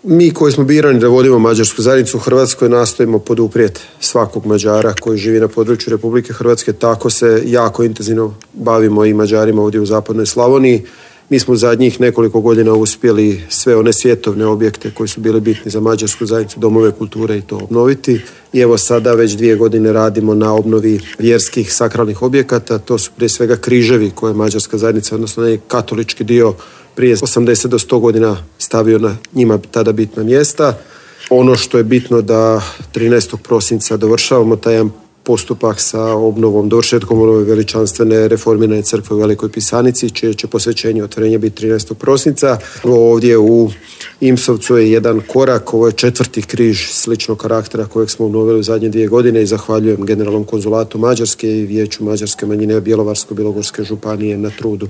Mi koji smo birani da vodimo mađarsku zajednicu u Hrvatskoj nastojimo poduprijeti svakog Mađara koji živi na području Republike Hrvatske, tako se jako intenzivno bavimo i Mađarima ovdje u zapadnoj Slavoniji. Mi smo u zadnjih nekoliko godina uspjeli sve one svjetovne objekte koji su bili bitni za mađarsku zajednicu, domove kulture i to obnoviti. I evo sada već 2 godine radimo na obnovi vjerskih sakralnih objekata. To su prije svega križevi koje mađarska zajednica, odnosno katolički dio, prije 80 do 100 godina stavio na njima tada bitna mjesta. Ono što je bitno da 13. prosinca dovršavamo taj jedan postupak sa obnovom, dovršetkom ove veličanstvene reformirane crkve u Velikoj Pisanici, čije će posvećenje i otvorenje biti 13. prosinca. Ovdje u Imsovcu je jedan korak, ovo je 4. križ sličnog karaktera kojeg smo obnovili u zadnje 2 godine i zahvaljujem Generalnom konzulatu Mađarske i Vijeću mađarske manjine Bjelovarsko-bilogorske županije na trudu.